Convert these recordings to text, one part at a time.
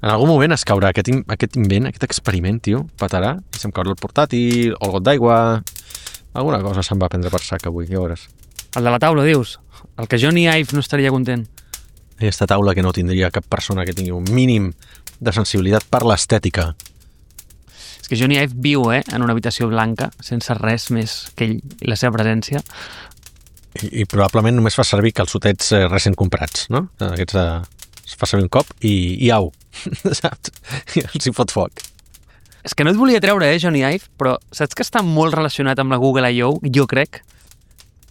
En algun moment es caurà aquest invent, aquest experiment, tio, petarà, i se'm caurà el portàtil, o el got d'aigua, alguna cosa se'm va prendre per sac avui, ja veuràs. El de la taula, dius? El que Johnny Ive no estaria content. Aquesta taula que no tindria cap persona que tingui un mínim de sensibilitat per l'estètica. És que Johnny Ive viu, en una habitació blanca, sense res més que ell i la seva presència. I probablement només fa servir calçotets recent comprats, no? Aquests es fa servir un cop i au, saps? I els hi fot foc. És que no et volia treure, Johnny Ive, però saps que està molt relacionat amb la Google I.O., jo crec?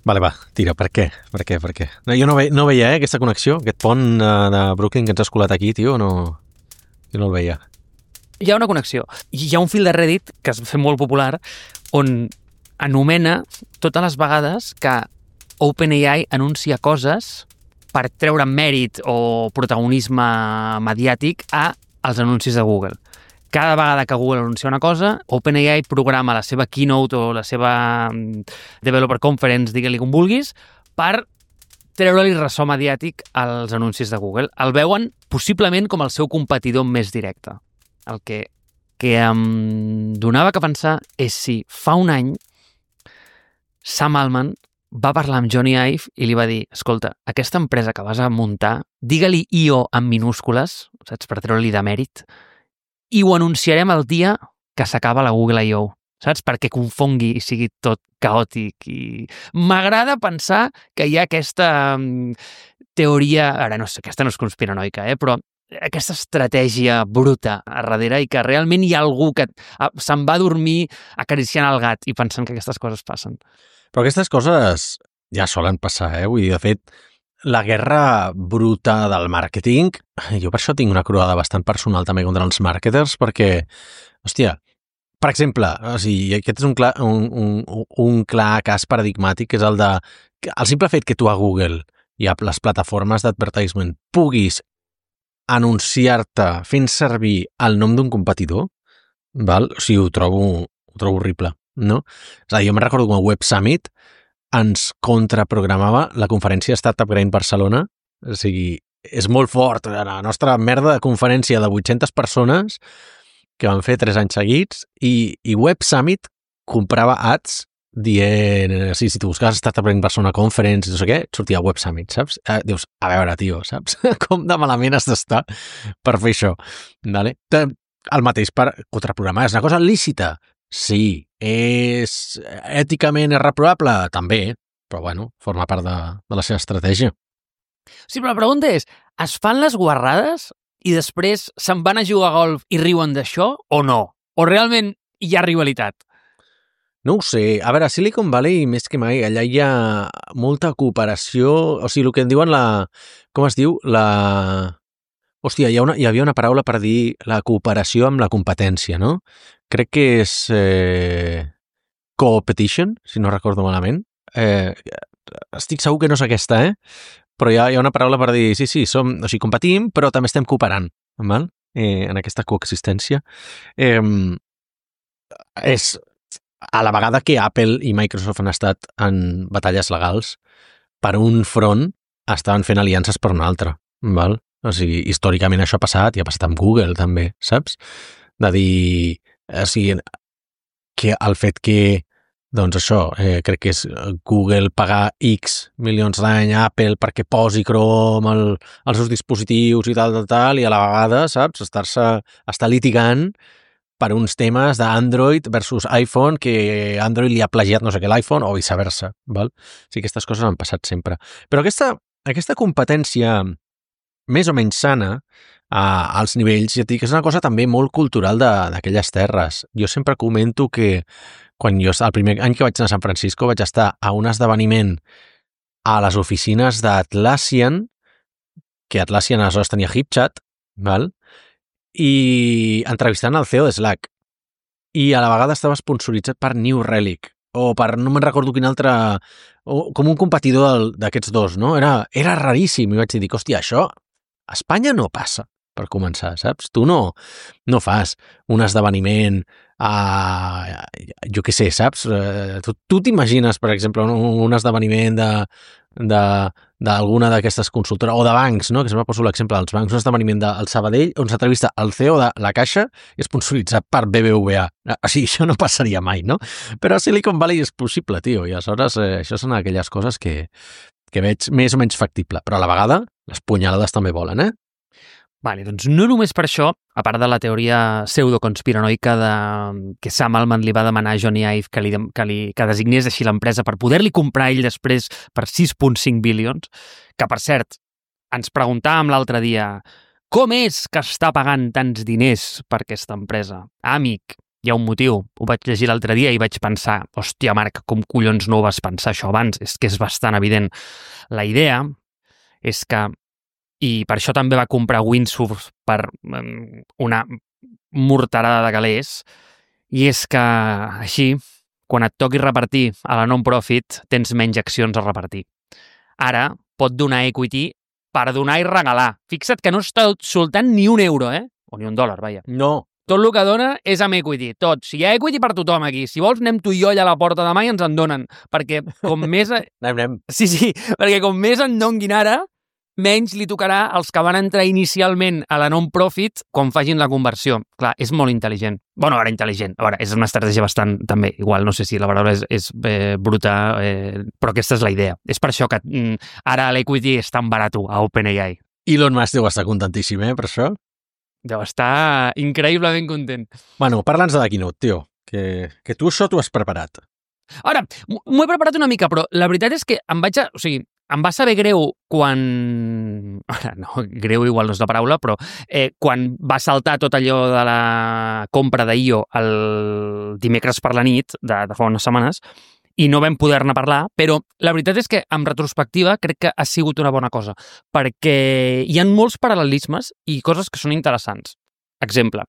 Vale, va, tira, per què? No, jo no veia aquesta connexió, aquest pont de Brooklyn que ens has colat aquí, tio, no... Jo no el veia. Hi ha una connexió. Hi ha un fil de Reddit que es va fer molt popular on anomena totes les vegades que OpenAI anuncia coses per treure mèrit o protagonisme mediàtic als anuncis de Google. Cada vegada que Google anuncia una cosa, OpenAI programa la seva keynote o la seva developer conference, digue-li com vulguis, per treure-li ressò mediàtic als anuncis de Google. El veuen possiblement com el seu competidor més directe. El que em donava que pensar és si fa un any Sam Altman va parlar amb Johnny Ive i li va dir, escolta, aquesta empresa que vas a muntar, digue-li I.O. en minúscules, saps, per treure-li de mèrit, i ho anunciarem el dia que s'acaba la Google I.O., saps? Perquè confongui i sigui tot caòtic. I m'agrada pensar que hi ha aquesta teoria, ara no sé, aquesta no és conspiranoica, però aquesta estratègia bruta a darrere i que realment hi ha algú que se'n va dormir acariciant el gat i pensant que aquestes coses passen. Però aquestes coses ja solen passar, Vull dir, de fet, la guerra bruta del màrqueting, jo per això tinc una croada bastant personal també contra els màrqueters, perquè, hòstia, per exemple, o sigui, aquest és un clar cas paradigmàtic, que és el simple fet que tu a Google i a les plataformes d'advertisement puguis anunciar-te fent servir el nom d'un competidor, val? O sigui, ho trobo horrible, no? És a dir, jo me'n recordo com a Web Summit ens contraprogramava la conferència Startup Grind Barcelona, o sigui, és molt fort, la nostra merda de conferència de 800 persones que van fer 3 anys seguits i Web Summit comprava ads dient, si tu buscaves Startup Grind Barcelona Conference, no sé què, et sortia Web Summit, saps? Dius, a veure, tio, saps? Com de malament has d'estar per fer això, vale? El mateix per contraprogramar, és una cosa lícita. Sí, és èticament reprobable? També, però bueno, forma part de la seva estratègia. Sí, però la pregunta és, es fan les guarrades i després se'n van a jugar a golf i riuen d'això o no? O realment hi ha rivalitat? No ho sé. A veure, a Silicon Valley, més que mai, allà hi ha molta cooperació, o sigui, el que en diuen com es diu? Hòstia, hi havia una paraula per dir la cooperació amb la competència, no? Crec que és competition, si no recordo malament. Estic segur que no és aquesta, però hi ha una paraula per dir, sí, competim, però també estem cooperant, val? En aquesta coexistència. És a la vegada que Apple i Microsoft han estat en batalles legals, per un front estaven fent aliances per un altre, val? O sigui, històricament això ha passat i ha passat amb Google també, saps? De dir, o sigui, que el fet que, doncs això, crec que és Google pagar X milions d'any a Apple perquè posi Chrome als seus dispositius i tal, i a la vegada, saps? Estar litigant per uns temes d'Android versus iPhone, que Android li ha plagiat no sé què l'iPhone, o viceversa, val? O sigui, aquestes coses han passat sempre. Però aquesta competència més o menys sana als nivells, ja et dic, és una cosa també molt cultural d'aquelles terres. Jo sempre comento que quan el primer any que vaig anar a San Francisco vaig estar a un esdeveniment a les oficines d'Atlassian, que Atlassian aleshores tenia HipChat, val? I entrevistant el CEO de Slack. I a la vegada estava sponsoritzat per New Relic, o per, no me'n recordo quin altre, com un competidor d'aquests dos, no? Era raríssim, i vaig dir, hòstia, això a Espanya no passa, per començar, saps? Tu no fas un esdeveniment jo què sé, saps? Tu t'imagines, per exemple, un esdeveniment d'alguna d'aquestes consultores, o de bancs, no? Que sempre poso l'exemple dels bancs, un esdeveniment del Sabadell on s'entrevista el CEO de la Caixa i és sponsoritzat per BBVA. O sigui, això no passaria mai, no? Però a Silicon Valley és possible, tio, i aleshores això són aquelles coses que veig més o menys factible, però a la vegada les punyalades també volen, Vale, doncs no només per això, a part de la teoria pseudoconspiranoica que Sam Altman li va demanar a Johnny Ive que designés així l'empresa per poder-li comprar ell després per 6,5 bilions, que per cert, ens preguntàvem l'altre dia com és que està pagant tants diners per aquesta empresa? Amic, hi ha un motiu. Ho vaig llegir l'altre dia i vaig pensar, hòstia, Marc, com collons no ho vas pensar això abans? És que és bastant evident. La idea és que i per això també va comprar Windsurf per una morterada de calés, i és que així, quan et toqui repartir a la non-profit, tens menys accions a repartir. Ara pot donar equity per donar i regalar. Fixa't que no està soltant ni un euro, o ni un dòlar, vaja. No. Tot el que dona és amb equity, tot. Si hi ha equity per tothom aquí, si vols anem tu i jo allà a la porta demà i ens en donen, perquè com més... Anem. Sí, perquè com més en donguin ara, menys li tocarà als que van entrar inicialment a la non-profit quan facin la conversió. Clar, és molt intel·ligent. Bueno, ara intel·ligent. A veure, és una estratègia bastant, també, igual, no sé si la paraula és bruta, però aquesta és la idea. És per això que ara l'equity és tan barat a OpenAI. Elon Musk deu estar contentíssim, per això? Deu estar increïblement content. Bueno, parla'ns de la Keynote, tio, que tu això t'ho has preparat. Ara, m'ho he preparat una mica, però la veritat és que em va saber greu quan... Ara, no, greu igual no és la paraula, però quan va saltar tot allò de la compra d'IO el dimecres per la nit, de fa unes setmanes, i no vam poder-ne parlar, però la veritat és que, en retrospectiva, crec que ha sigut una bona cosa, perquè hi ha molts paral·lelismes i coses que són interessants. Exemple,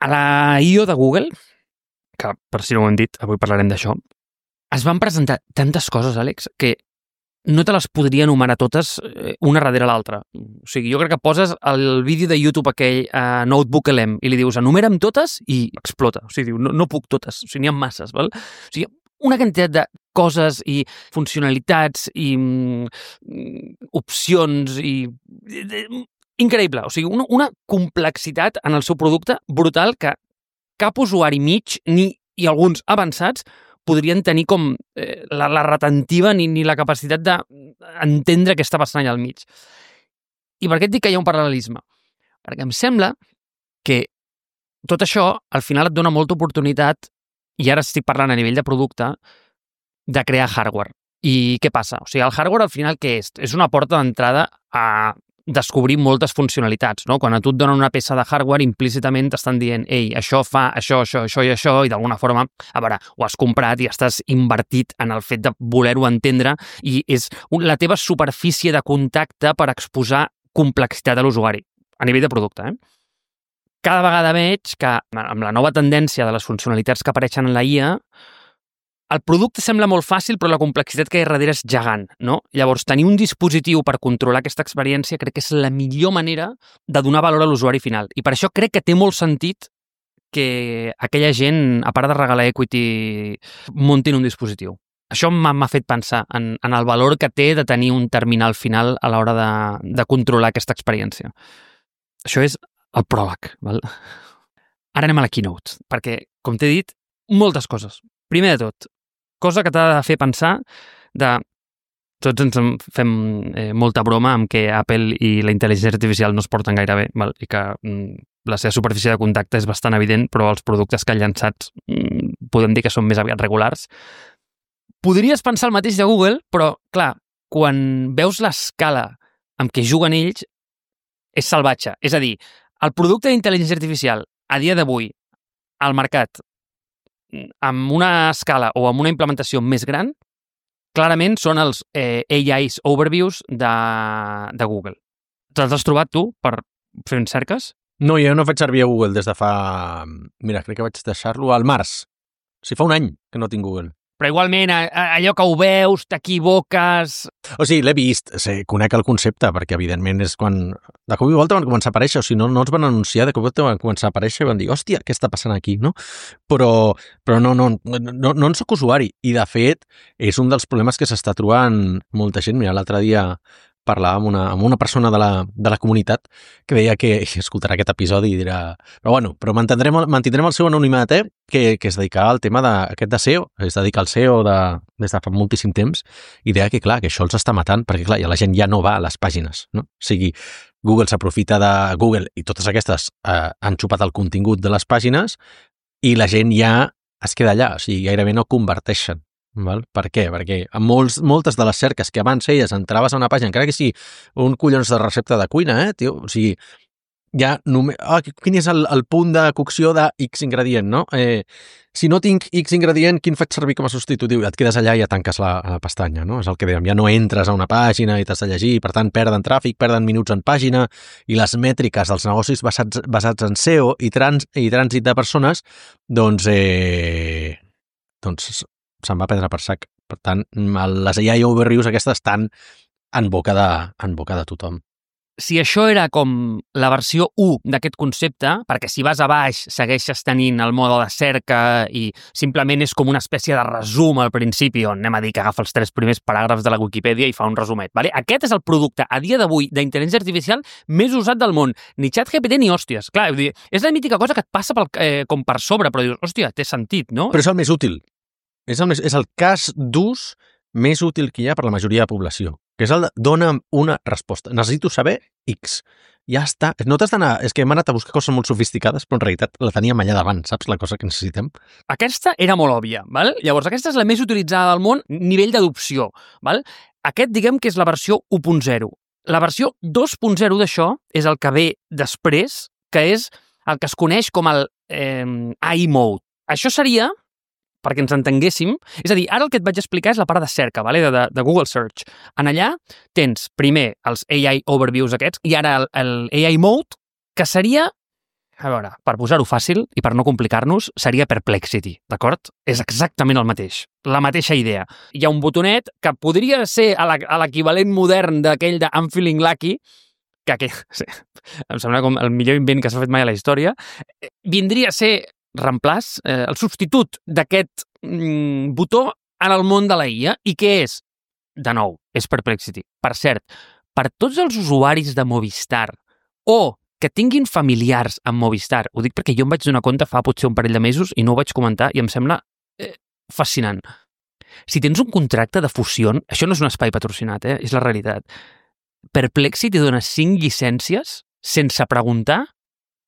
a la IO de Google, que per si no ho hem dit, avui parlarem d'això, es van presentar tantes coses, Àlex, que no te les podria enumerar totes una darrere l'altra. O sigui, jo crec que poses el vídeo de YouTube aquell Notebook LM i li dius enumera'm totes i explota. O sigui, diu, no puc totes, o sigui, n'hi ha masses, val? O sigui, una quantitat de coses i funcionalitats i opcions i... Increïble, o sigui, una complexitat en el seu producte brutal que cap usuari mig i alguns avançats podrien tenir com la retentiva ni la capacitat d'entendre què està passant allà al mig. I per què et dic que hi ha un paral·lelisme? Perquè em sembla que tot això al final et dona molta oportunitat, i ara estic parlant a nivell de producte, de crear hardware. I què passa? O sigui, el hardware al final què és? És una porta d'entrada a descobrir moltes funcionalitats, no? Quan a tu et donen una peça de hardware, implícitament t'estan dient ei, això fa això i això, i d'alguna forma, a veure, ho has comprat i estàs invertit en el fet de voler-ho entendre i és la teva superfície de contacte per exposar complexitat a l'usuari, a nivell de producte, Cada vegada veig que, amb la nova tendència de les funcionalitats que apareixen en la IA, el producte sembla molt fàcil, però la complexitat que hi ha darrere és gegant, no? Llavors, tenir un dispositiu per controlar aquesta experiència crec que és la millor manera de donar valor a l'usuari final. I per això crec que té molt sentit que aquella gent, a part de regalar equity, muntin un dispositiu. Això m'ha fet pensar en el valor que té de tenir un terminal final a l'hora de controlar aquesta experiència. Això és el pròleg, val? Ara anem a la keynote, perquè, com t'he dit, moltes coses. Primer de tot, cosa que t'ha de fer pensar de... Tots ens fem molta broma amb que Apple i la intel·ligència artificial no es porten gaire bé, val? I que la seva superfície de contacte és bastant evident, però els productes que han llançat podem dir que són més aviat regulars. Podries pensar el mateix de Google, però, clar, quan veus l'escala amb què juguen ells, és salvatge. És a dir, el producte d'intel·ligència artificial, a dia d'avui, al mercat, amb una escala o amb una implementació més gran, clarament són els AI's Overviews de Google. Te'ls has trobat tu per fer uns cerques? No, jo no faig servir a Google des de fa... Mira, crec que vaig deixar-lo al març. O sigui, fa un any que no tinc Google. Però igualment, allò que ho veus, t'equivoques... O sigui, l'he vist, conec el concepte, perquè evidentment és quan... De cop i volta van començar a aparèixer, o sigui, no ens van anunciar, de cop i volta van començar a aparèixer i van dir, hòstia, què està passant aquí, no? Però no en soc usuari. I, de fet, és un dels problemes que s'està trobant molta gent. Mira, l'altre dia parlava amb una persona de la comunitat que deia que escoltarà aquest episodi i dirà... Però mantindrem el seu anonimat, que es dedicava al tema aquest de SEO, es dedica al SEO des de fa moltíssim temps, i deia que, clar, que això els està matant, perquè, clar, la gent ja no va a les pàgines, no? O sigui, Google s'aprofita de Google i totes aquestes han xupat el contingut de les pàgines i la gent ja es queda allà, o sigui, gairebé no converteixen. Val? Per què? Perquè a moltes de les cerques que abans feies entraves a una pàgina, encara que sigui un collons de recepta de cuina, tio? O sigui, ja només... quin és el punt de cocció de X ingredient, no? Si no tinc X ingredient, quin faig servir com a substitutiu? Et quedes allà i ja tanques la pestanya, no? És el que dèiem, ja no entres a una pàgina i t'has de llegir, per tant perden tràfic, perden minuts en pàgina, i les mètriques dels negocis basats en SEO i trànsit de persones, doncs se'n va prendre per sac. Per tant, les AI overviews aquestes estan en boca de tothom. Si això era com la versió 1 d'aquest concepte, perquè si vas a baix segueixes tenint el mode de cerca i simplement és com una espècie de resum al principi, on anem a dir que agafa els 3 primers paràgrafs de la Wikipedia i fa un resumet. Vale? Aquest és el producte, a dia d'avui, d'intel·ligència artificial més usat del món. Ni ChatGPT ni hòsties. Clar, és la mítica cosa que et passa com per sobre, però dius, hòstia, té sentit, no? Però és el més útil. És el cas d'ús més útil que hi ha per la majoria de població, que és el de dona'm una resposta. Necessito saber X. Ja està. No t'has d'anar... És que hem anat a buscar coses molt sofisticades, però en realitat la teníem allà davant, saps? La cosa que necessitem. Aquesta era molt òbvia, val? Llavors, aquesta és la més utilitzada del món, nivell d'adopció, val? Aquest, diguem que és la versió 1.0. La versió 2.0 d'això és el que ve després, que és el que es coneix com el AI Mode. Això seria... perquè ens entenguéssim. És a dir, ara el que et vaig explicar és la part de cerca, vale? de Google Search. En allà tens primer els AI Overviews aquests i ara el AI Mode, que seria, a veure, per posar-ho fàcil i per no complicar-nos, seria Perplexity, d'acord? És exactament el mateix, la mateixa idea. Hi ha un botonet que podria ser a l'equivalent modern d'aquell de I'm Feeling Lucky, que sí, em sembla com el millor invent que s'ha fet mai a la història, vindria a ser reemplaç, el substitut d'aquest botó en el món de la IA. I què és? De nou, és Perplexity. Per cert, per tots els usuaris de Movistar o que tinguin familiars amb Movistar, ho dic perquè jo em vaig donar compte fa potser un parell de mesos i no ho vaig comentar i em sembla fascinant. Si tens un contracte de fusió, això no és un espai patrocinat, és la realitat. Perplexity dona 5 llicències sense preguntar,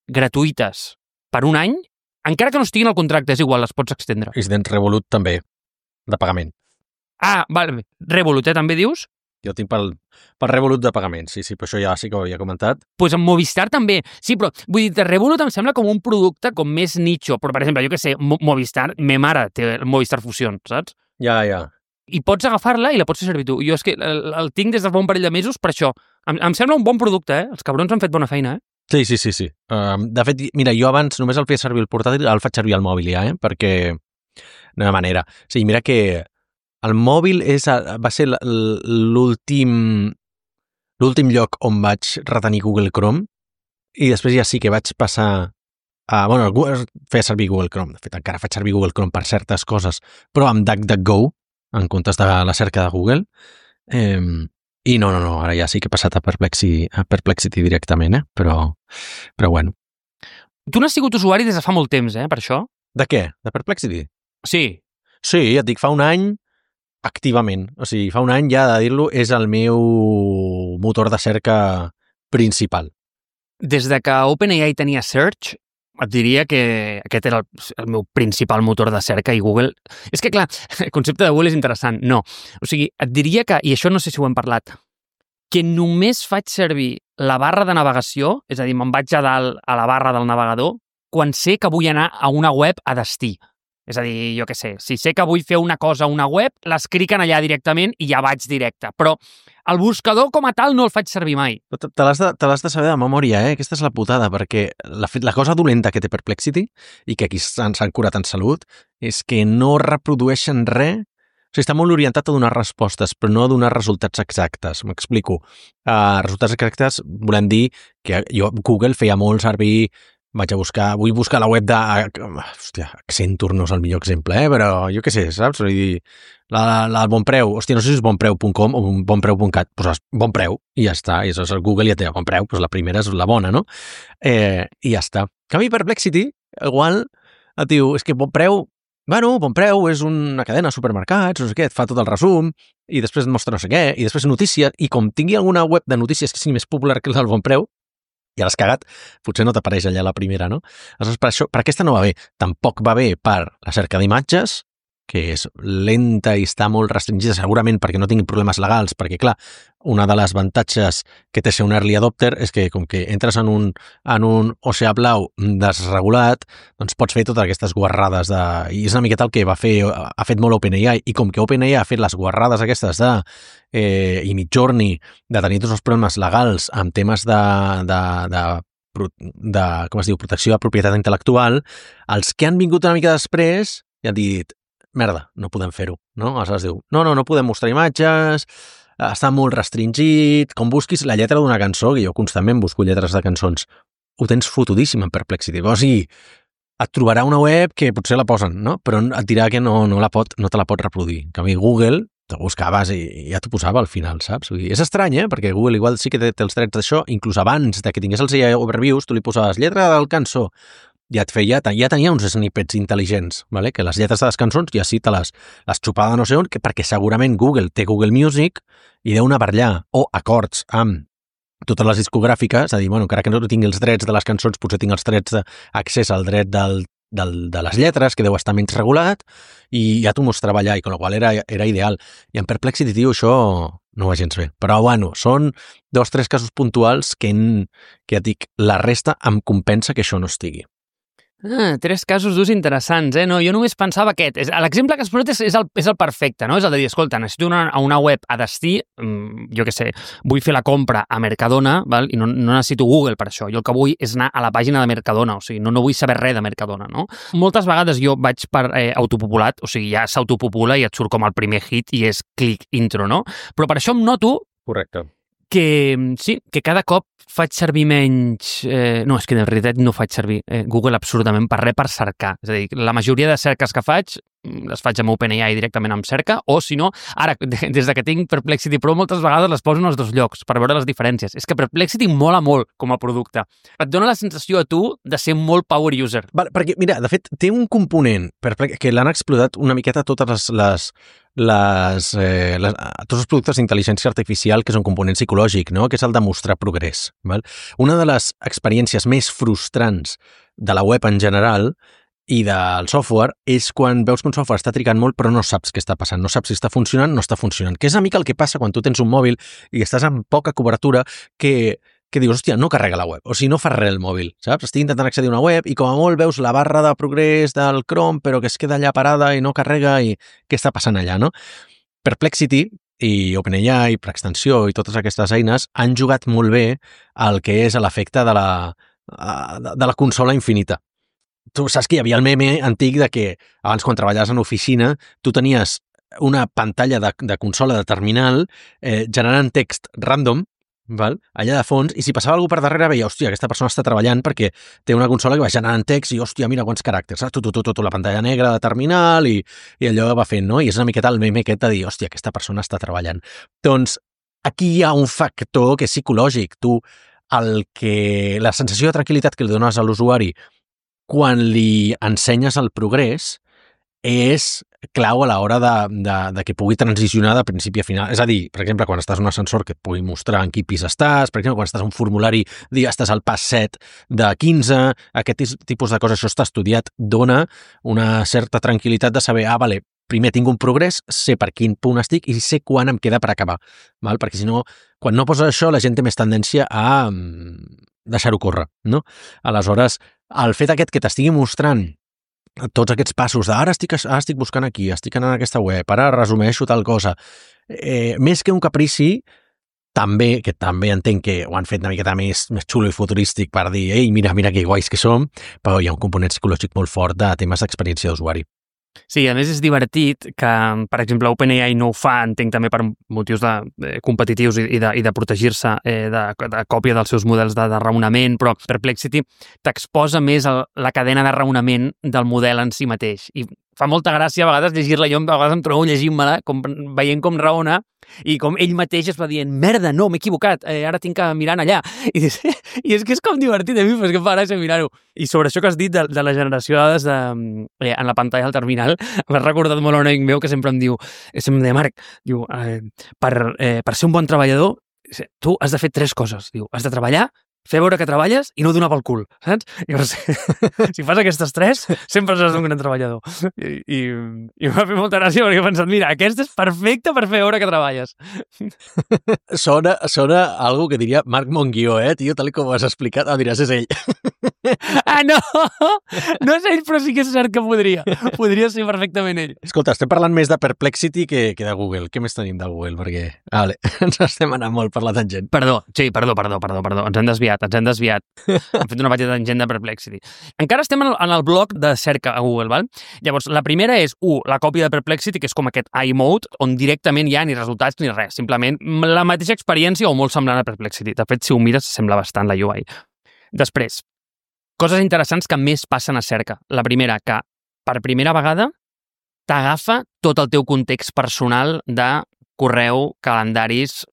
gratuïtes, per un any, encara que no estiguin al contracte, és igual, les pots extendre. I si tens Revolut també, de pagament. Ah, vale. Revolut, també dius? Jo tinc pel Revolut de pagament, sí, però això ja sí que ho havia comentat. Pues amb Movistar també. Sí, però vull dir, Revolut em sembla com un producte com més nicho, però per exemple, jo que sé, Movistar, me mare té el Movistar Fusion, saps? Ja. I pots agafar-la i la pots fer servir tu. Jo és que el tinc des de fa un parell de mesos per això. Em sembla un bon producte, Els cabrons han fet bona feina, Sí. De fet, mira, jo abans només el feia servir el portàtil, el faig servir al mòbil ja, perquè no hi ha manera. O sigui, mira que el mòbil va ser l'últim lloc on vaig retenir Google Chrome i després ja sí que vaig passar a... Bueno, feia servir Google Chrome. De fet, encara faig servir Google Chrome per certes coses, però amb DuckDuckGo, en comptes de la cerca de Google. I no, ara ja sí que he passat a Perplexity directament, però bueno. Tu n'has sigut usuari des de fa molt temps, per això? De què? De Perplexity? Sí. Sí, et dic, fa un any activament. O sigui, fa un any ja de dir-lo és el meu motor de cerca principal. Des de que OpenAI tenia Search, et diria que aquest era el meu principal motor de cerca i Google... És que, clar, el concepte de Google és interessant. No. O sigui, et diria que, i això no sé si ho hem parlat, que només faig servir la barra de navegació, és a dir, me'n vaig a dalt a la barra del navegador, quan sé que vull anar a una web a destí. És a dir, jo què sé, si sé que vull fer una cosa a una web, l'escriquen allà directament i ja vaig directe. Però el buscador com a tal no el faig servir mai. Te l'has de saber de memòria, Aquesta és la putada, perquè la cosa dolenta que té Perplexity, i que aquí s'han curat en salut, és que no reprodueixen res. O sigui, està molt orientat a donar respostes, però no a donar resultats exactes. M'explico. Resultats exactes volem dir que Google feia molt servir. Vull buscar la web de... Hòstia, Accenture no és el millor exemple, però jo què sé, saps? Vull dir, la Bon Preu, hòstia, no sé si és bonpreu.com o bonpreu.cat, poses Bon Preu i ja està, i això Google ja té Bon Preu, doncs la primera és la bona, no? I ja està. En canvi, Perplexity, igual, et diu, és que Bon Preu, Bon Preu és una cadena de supermercats, no sé què, et fa tot el resum, i després et mostra no sé què, i després notícies, i com tingui alguna web de notícies que sigui més popular que el del Bon Preu, ja l'has cagat, potser no t'apareix allà la primera, no? Aleshores, per aquesta no va bé. Tampoc va bé per la cerca d'imatges, que és lenta i està molt restringida, segurament perquè no tingui problemes legals, perquè, clar, una de les avantatges que té ser un early adopter és que, com que entres en un oceà blau desregulat, doncs pots fer totes aquestes guarrades i és una miqueta el que ha fet molt OpenAI, i com que OpenAI ha fet les guarrades aquestes i Midjourney, de tenir tots els problemes legals amb temes de com es diu, protecció de propietat intel·lectual, els que han vingut una mica després ja han dit, merda, no podem fer-ho, no? Aleshores diu, no podem mostrar imatges, està molt restringit, com busquis la lletra d'una cançó, que jo constantment busco lletres de cançons, ho tens fotudíssim en Perplexity. O sigui, et trobarà una web que potser la posen, no? Però et dirà que no te la pot reproduir. En canvi, Google, te buscaves i ja t'ho posava al final, saps? Vull dir, és estrany, perquè Google igual sí que té els drets d'això, inclús abans de que tingués els overviews, tu li posaves lletra del cançó, ja tenia uns snippets intel·ligents, vale? Que les lletres de les cançons ja sí te les xupava no sé on, perquè segurament Google té Google Music i deu anar per allà, o acords amb totes les discogràfiques, és a dir, encara que no tingui els drets de les cançons, potser tinc els drets d'accés al dret de les lletres, que deu estar menys regulat, i ja t'ho mostrava allà, i amb la qual era ideal. I en Perplexity, tio, això no va gens bé. Però, són 2 o 3 casos puntuals que et dic, la resta em compensa que això no estigui. 3 casos d'ús interessants, No, jo només pensava aquest. L'exemple que has posat és el perfecte, no? És el de dir, escolta, necessito una web a destí, jo què sé, vull fer la compra a Mercadona, val? I no necessito Google per això. Jo el que vull és anar a la pàgina de Mercadona, o sigui, no vull saber res de Mercadona, no? Moltes vegades jo vaig per autopopulat, o sigui, ja s'autopopula i et surt com el primer hit i és clic intro, no? Però per això em noto... Correcte. Que sí, que cada cop faig servir menys... no, és que de veritat no faig servir Google absolutament per res per cercar. És a dir, la majoria de cerques que faig les faig amb OpenAI directament amb cerca, o si no, ara, des que tinc Perplexity Pro, moltes vegades les poso en els 2 llocs per veure les diferències. És que Perplexity mola molt com a producte. Et dona la sensació a tu de ser molt power user. Vale, perquè, mira, de fet, té un component que l'han explotat una miqueta totes tots els productes d'intel·ligència artificial, que és un component psicològic, no? Que és el de mostrar progrés. Val? Una de les experiències més frustrants de la web en general i del software és quan veus que un software està trigant molt però no saps què està passant, no saps si està funcionant o no està funcionant, que és una mica el que passa quan tu tens un mòbil i estàs amb poca cobertura que dius, hòstia, no carrega la web, o sigui, no fa res el mòbil, saps? Estic intentant accedir a una web i com a molt veus la barra de progrés del Chrome però que es queda allà parada i no carrega i què està passant allà, no? Perplexity i OpenAI, per extensió i totes aquestes eines han jugat molt bé el que és l'efecte de la consola infinita. Tu saps que hi havia el meme antic de que abans quan treballaves en oficina tu tenies una pantalla de consola de terminal generant text random, val? Allà de fons, i si passava algú per darrere veia, hòstia, aquesta persona està treballant perquè té una consola que va generant text i, hòstia, mira quants caràcters, saps? La pantalla negra de terminal i allò va fent, no? I és una miqueta el meme aquest de dir, hòstia, aquesta persona està treballant. Doncs aquí hi ha un factor que és psicològic. Tu, la sensació de tranquil·litat que li dones a l'usuari quan li ensenyes el progrés és clau a l'hora de que pugui transicionar de principi a final. És a dir, per exemple, quan estàs en un ascensor que et pugui mostrar en quin pis estàs, per exemple, quan estàs en un formulari, estàs al pas 7 de 15, aquest tipus de coses, això està estudiat, dona una certa tranquil·litat de saber, vale, primer tinc un progrés, sé per quin punt estic i sé quan em queda per acabar, val? Perquè si no, quan no poses això, la gent té més tendència a deixar-ho córrer, no? Aleshores, el fet aquest que t'estigui mostrant tots aquests passos de ara estic buscant aquí, estic anant a aquesta web, ara resumeixo tal cosa. Més que un caprici, també entenc que ho han fet una miqueta més xulo i futurístic per dir, ei, mira que guais que som, però hi ha un component psicològic molt fort de temes d'experiència d'usuari. Sí, a més és divertit que, per exemple, OpenAI no ho fa, entenc també per motius competitius i de protegir-se de còpia dels seus models de raonament, però Perplexity t'exposa més la cadena de raonament del model en si mateix. I fa molta gràcia a vegades llegir-la, jo a vegades em trobo llegint-me-la, veient com raona, i com ell mateix es va dient, merda, no, m'he equivocat, ara tinc que mirar allà. I és que és com divertit, a mi, però és que fa gràcia mirar-ho. I sobre això que has dit de la generació de dades en la pantalla del terminal, m'has recordat molt a un amic meu que sempre em diu, Marc, diu, per ser un bon treballador, tu has de fer 3 coses. Diu, has de treballar, fer veure que treballes i no donar pel cul, saps? Llavors, si fas aquestes 3, sempre seràs un gran treballador. I m'ha fet molta gràcia perquè he pensat, mira, aquesta és perfecta per fer veure que treballes. Sona algo que diria Marc Monguió, tio, tal com ho has explicat. Diràs, és ell. Ah, no! No és ell, però sí que és cert que podria. Podria ser perfectament ell. Escolta, estem parlant més de Perplexity que de Google. Què més tenim de Google? Perquè, ens estem anant molt per la tangent. Perdó. Ens hem desviat. Hem fet una petita tangent de Perplexity. Encara estem en el bloc de cerca a Google, val? Llavors, la primera és, la còpia de Perplexity, que és com aquest iMode, on directament hi ha ni resultats ni res. Simplement la mateixa experiència o molt semblant a Perplexity. De fet, si ho mires, sembla bastant la UI. Després, coses interessants que més passen a cerca. La primera, que per primera vegada t'agafa tot el teu context personal de correu, calendaris,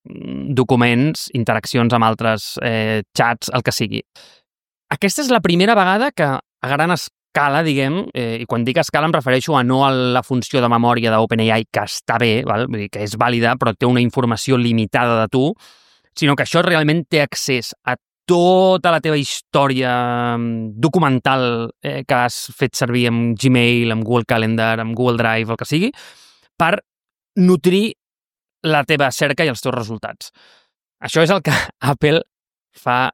documents, interaccions amb altres xats, el que sigui. Aquesta és la primera vegada que a gran escala, diguem, i quan dic escala em refereixo a no a la funció de memòria d'OpenAI, que està bé, val? Vull dir que és vàlida, però té una informació limitada de tu, sinó que això realment té accés a tota la teva història documental que has fet servir amb Gmail, amb Google Calendar, amb Google Drive, el que sigui, per nutrir la teva cerca i els teus resultats. Això és el que Apple fa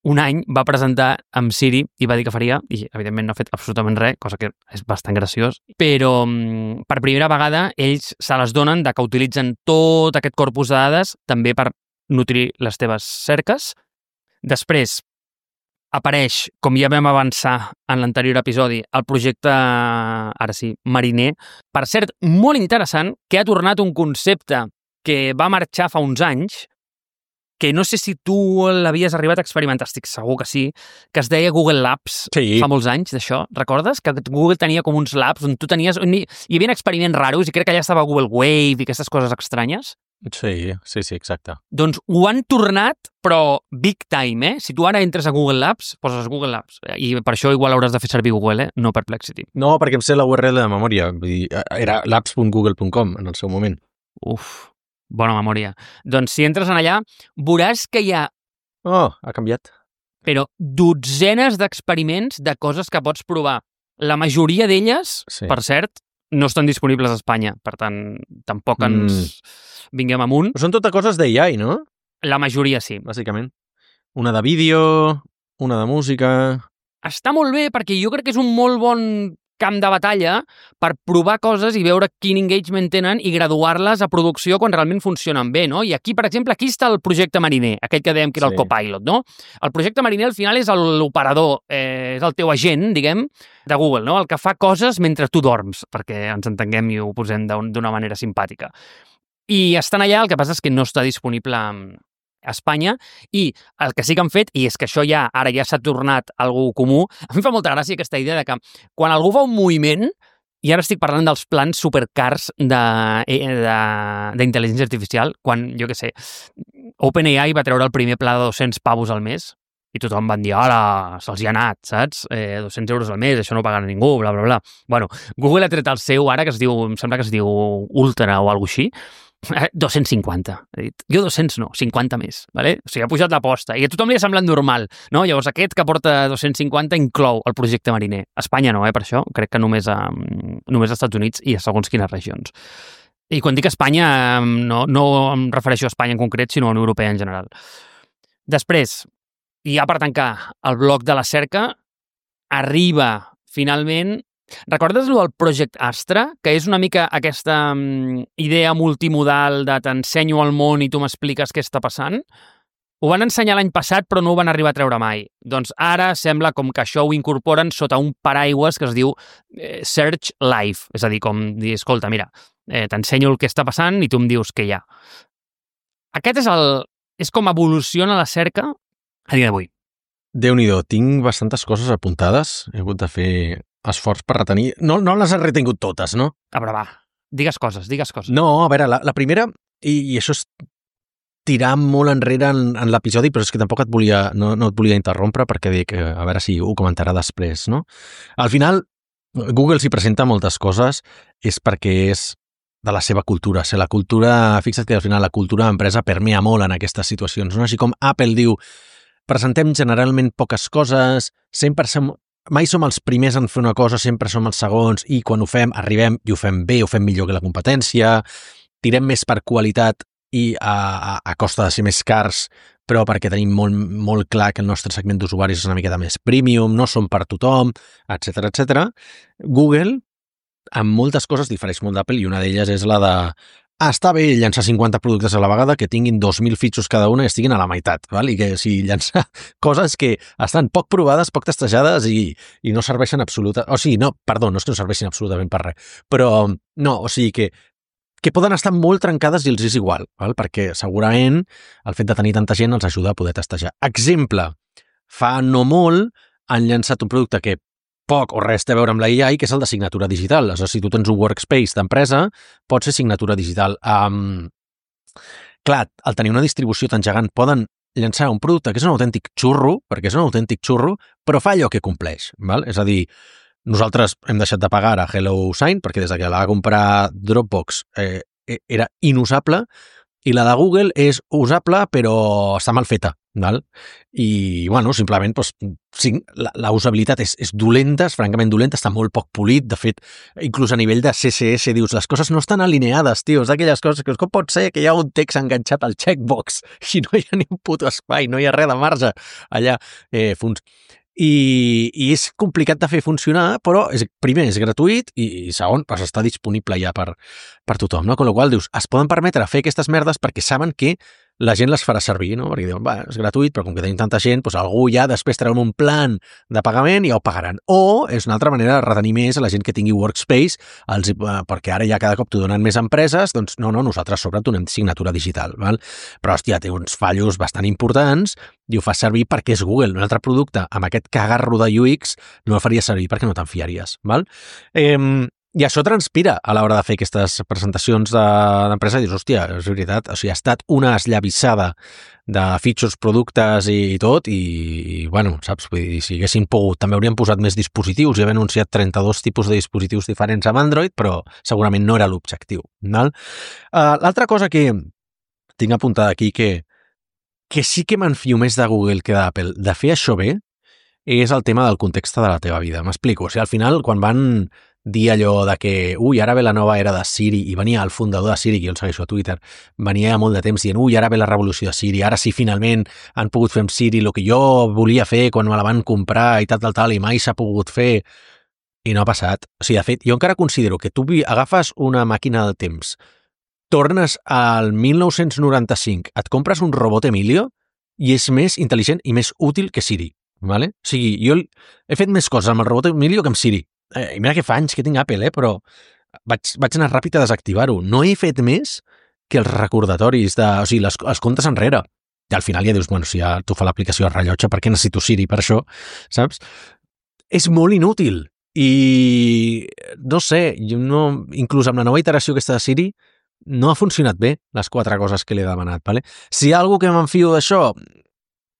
un any va presentar amb Siri i va dir que faria, i evidentment no ha fet absolutament res, cosa que és bastant graciós, però per primera vegada ells se les donen de que utilitzen tot aquest corpus de dades també per nutrir les teves cerques. Després apareix, com ja vam avançar en l'anterior episodi, el projecte, ara sí, Mariner. Per cert, molt interessant, que ha tornat un concepte que va marxar fa uns anys, que no sé si tu l'havies arribat a experimentar, estic segur que sí, que es deia Google Labs, sí. Fa molts anys d'això, recordes? Que Google tenia com uns labs on tu tenies... Hi havia experiments raros i crec que allà estava Google Wave i aquestes coses estranyes. Sí, exacte. Doncs ho han tornat, però big time, Si tu ara entres a Google Labs, poses Google Labs, i per això igual hauràs de fer servir Google, no Perplexity. No, perquè em sé la URL de memòria, vull dir, era labs.google.com en el seu moment. Uf, bona memòria. Doncs si entres en allà, veuràs que hi ha... Oh, ha canviat. Però dotzenes d'experiments de coses que pots provar. La majoria d'elles, per cert, no estan disponibles a Espanya. Per tant, tampoc ens vinguem amunt. Són totes coses d'AI, no? La majoria sí. Bàsicament. Una de vídeo, una de música... Està molt bé perquè jo crec que és un molt bon camp de batalla per provar coses i veure quin engagement tenen i graduar-les a producció quan realment funcionen bé, no? I aquí, per exemple, aquí està el projecte Mariner, aquell que dèiem que era el Copilot, no? El projecte Mariner, al final, és l'operador, és el teu agent, diguem, de Google, no? El que fa coses mentre tu dorms, perquè ens entenguem i ho posem d'una manera simpàtica. I estan allà, el que passa és que no està disponible a Espanya, i el que sí que han fet, i és que això ara ja s'ha tornat algo comú, a mi fa molta gràcia aquesta idea de que quan algú fa un moviment, i ara estic parlant dels plans supercars d'intel·ligència artificial, quan, jo què sé, OpenAI va treure el primer pla de 200 pavos al mes, i tothom van dir, hola, se'ls hi ha anat, saps? 200 euros al mes, això no ho pagarà ningú, bla, bla, bla. Bueno, Google ha tret el seu ara, que es diu, em sembla que es diu Ultra o alguna així, 250, he dit. Jo 200 no, 50 més, vale? O sigui, ha pujat l'aposta i a tothom li ha semblat normal, no? Llavors aquest que porta 250 inclou el projecte Mariner. A Espanya no, per això, crec que només als Estats Units i a segons quines regions. I quan dic Espanya no em refereixo a Espanya en concret, sinó a la Unió Europea en general. Després, i ja per tancar el bloc de la cerca, arriba finalment Recordes el Project Astra? Que és una mica aquesta idea multimodal de t'ensenyo el món i tu m'expliques què està passant? Ho van ensenyar l'any passat, però no ho van arribar a treure mai. Doncs ara sembla com que això ho incorporen sota un paraigües que es diu Search Live. És a dir, com dir, escolta, mira, t'ensenyo el que està passant i tu em dius què hi ha. Aquest és com evoluciona la cerca a dia d'avui. Déu-n'hi-do, tinc bastantes coses apuntades. He hagut de fer esforç per retenir. No les he retingut totes, no? A veure, va, digues coses. No, a veure, la primera, i això és tirar molt enrere en l'episodi, però és que tampoc no et volia interrompre perquè dic, a veure si ho comentarà després, no? Al final, Google s'hi presenta moltes coses, és perquè és de la seva cultura. La cultura, fixa't que al final la cultura d'empresa permea molt en aquestes situacions, no? Així com Apple diu, presentem generalment poques coses, mai som els primers en fer una cosa, sempre som els segons, i quan ho fem, arribem i ho fem bé, ho fem millor que la competència, tirem més per qualitat i a costa de ser més cars, però perquè tenim molt clar que el nostre segment d'usuaris és una miqueta més premium, no som per tothom, etc etc. Google, amb moltes coses, difereix molt d'Apple, i una d'elles és la de està bé llançar 50 productes a la vegada que tinguin 2.000 fitxos cada una i estiguin a la meitat, val? I que si llançar coses que estan poc provades, poc testejades i no serveixen absolutament... O sigui, no és que no serveixin absolutament per res, però no, o sigui que poden estar molt trencades i els és igual, val? Perquè segurament el fet de tenir tanta gent els ajuda a poder testejar. Exemple, fa no molt han llançat un producte que poc o res té a veure amb la AI, que és el de signatura digital. És a dir, si tu tens un workspace d'empresa, pot ser signatura digital. Clar, al tenir una distribució tan gegant, poden llançar un producte que és un autèntic xurro, perquè és un autèntic xurro, però fa allò que compleix, val? És a dir, nosaltres hem deixat de pagar a HelloSign perquè des que la va comprar Dropbox era inusable, i la de Google és usable però està mal feta, val? I, bueno, simplement, doncs, sí, la usabilitat és dolenta, és francament dolenta, està molt poc polit, de fet, inclús a nivell de CSS, dius, les coses no estan alineades, tio, és d'aquelles coses que com pot ser que hi ha un text enganxat al checkbox i no hi ha ni un puto espai, no hi ha res de marge allà, I és complicat de fer funcionar, però primer és gratuït i segon, doncs està disponible ja per tothom, no? Con la qual dius, es poden permetre fer aquestes merdes perquè saben que la gent les farà servir, no? Perquè diuen, va, és gratuït, però com que tenim tanta gent, doncs algú ja després treu un plan de pagament i ja ho pagaran. O és una altra manera de retenir més a la gent que tingui workspace, perquè ara ja cada cop t'ho donen més empreses, doncs no, nosaltres sobre donem signatura digital, val? Però, hòstia, té uns fallos bastant importants i ho fa servir perquè és Google. Un altre producte amb aquest cagarro de UX no el faria servir perquè no te'n fiaries, val? I això transpira a l'hora de fer aquestes presentacions d'empresa i dius, hòstia, és veritat, o sigui, ha estat una esllavissada de features, productes i tot, i bueno, saps, vull dir, si haguessin pogut, també haurien posat més dispositius, i havia anunciat 32 tipus de dispositius diferents amb Android, però segurament no era l'objectiu, val? L'altra cosa que tinc apuntada aquí, que sí que m'enfio més de Google que d'Apple, de fer això bé, és el tema del context de la teva vida. M'explico, o sigui, al final, quan van dir allò de que, ara ve la nova era de Siri, i venia el fundador de Siri, que jo el segueixo a Twitter, venia molt de temps dient, ara ve la revolució de Siri, ara sí, finalment han pogut fer amb Siri el que jo volia fer quan me la van comprar i tal, i mai s'ha pogut fer, i no ha passat. O sigui, de fet, jo encara considero que tu agafes una màquina del temps, tornes al 1995, et compres un robot Emilio i és més intel·ligent i més útil que Siri, vale? O sigui, jo he fet més coses amb el robot Emilio que amb Siri. I mira que fa anys que tinc Apple, però vaig anar ràpid a desactivar-ho. No he fet més que els recordatoris, o sigui, els comptes enrere. I al final ja dius, bueno, si ja tu fa l'aplicació de rellotge, per què necessito Siri per això, saps? És molt inútil. I no sé, inclús amb la nova iteració aquesta de Siri, no ha funcionat bé les 4 coses que li he demanat, vale? Si hi ha algú que m'enfio d'això,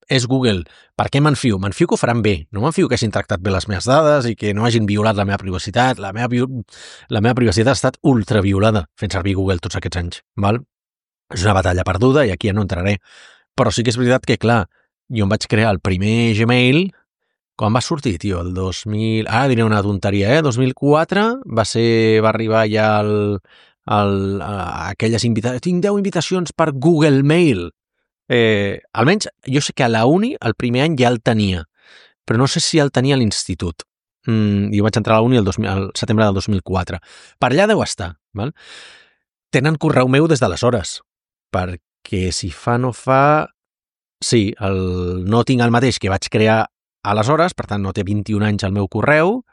és Google. Per què m'enfio? M'enfio que ho faran bé. No m'enfio que hagin tractat bé les meves dades i que no hagin violat la meva privacitat. La meva privacitat ha estat ultraviolada fent servir Google tots aquests anys. Val? És una batalla perduda i aquí ja no entraré. Però sí que és veritat que, clar, jo em vaig crear el primer Gmail quan va sortir, tio, el 2000... Ara diré una tonteria, 2004 va arribar ja aquelles invitacions... Tinc 10 invitacions per Google Mail. Almenys, jo sé que a la uni el primer any ja el tenia, però no sé si el tenia a l'institut. i vaig entrar a la uni al setembre del 2004. Per allà deu estar, val? Tenen correu meu des d'aleshores, perquè si fa no fa... Sí, no tinc el mateix que vaig crear aleshores, per tant no té 21 anys el meu correu,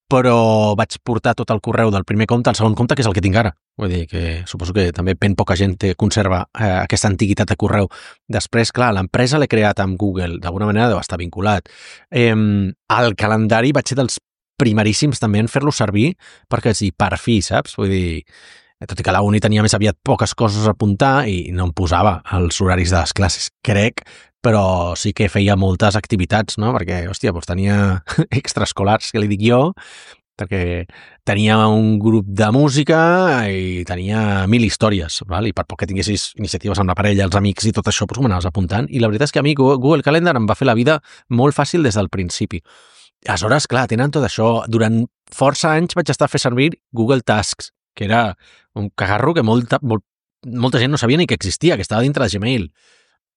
però vaig portar tot el correu del primer compte al segon compte, que és el que tinc ara. Vull dir que suposo que també ben poca gent conserva aquesta antiguitat de correu. Després, clar, l'empresa l'he creat amb Google, d'alguna manera deu estar vinculat. El calendari vaig ser dels primeríssims també en fer-lo servir perquè sí, per fi, saps? Vull dir, tot i que a la uni tenia més aviat poques coses a apuntar i no em posava els horaris de les classes, crec, però sí que feia moltes activitats, no? Perquè, hòstia, doncs tenia extraescolars, que li dic jo, perquè tenia un grup de música i tenia 1000 històries, val? I per poc que tinguessis iniciatives amb la parella, els amics i tot això, doncs ho anaves apuntant. I la veritat és que a mi Google Calendar em va fer la vida molt fàcil des del principi. Aleshores, clar, tenen tot això. Durant força anys vaig estar a fer servir Google Tasks, que era un cagarro que molta gent no sabia ni que existia, que estava dintre de Gmail.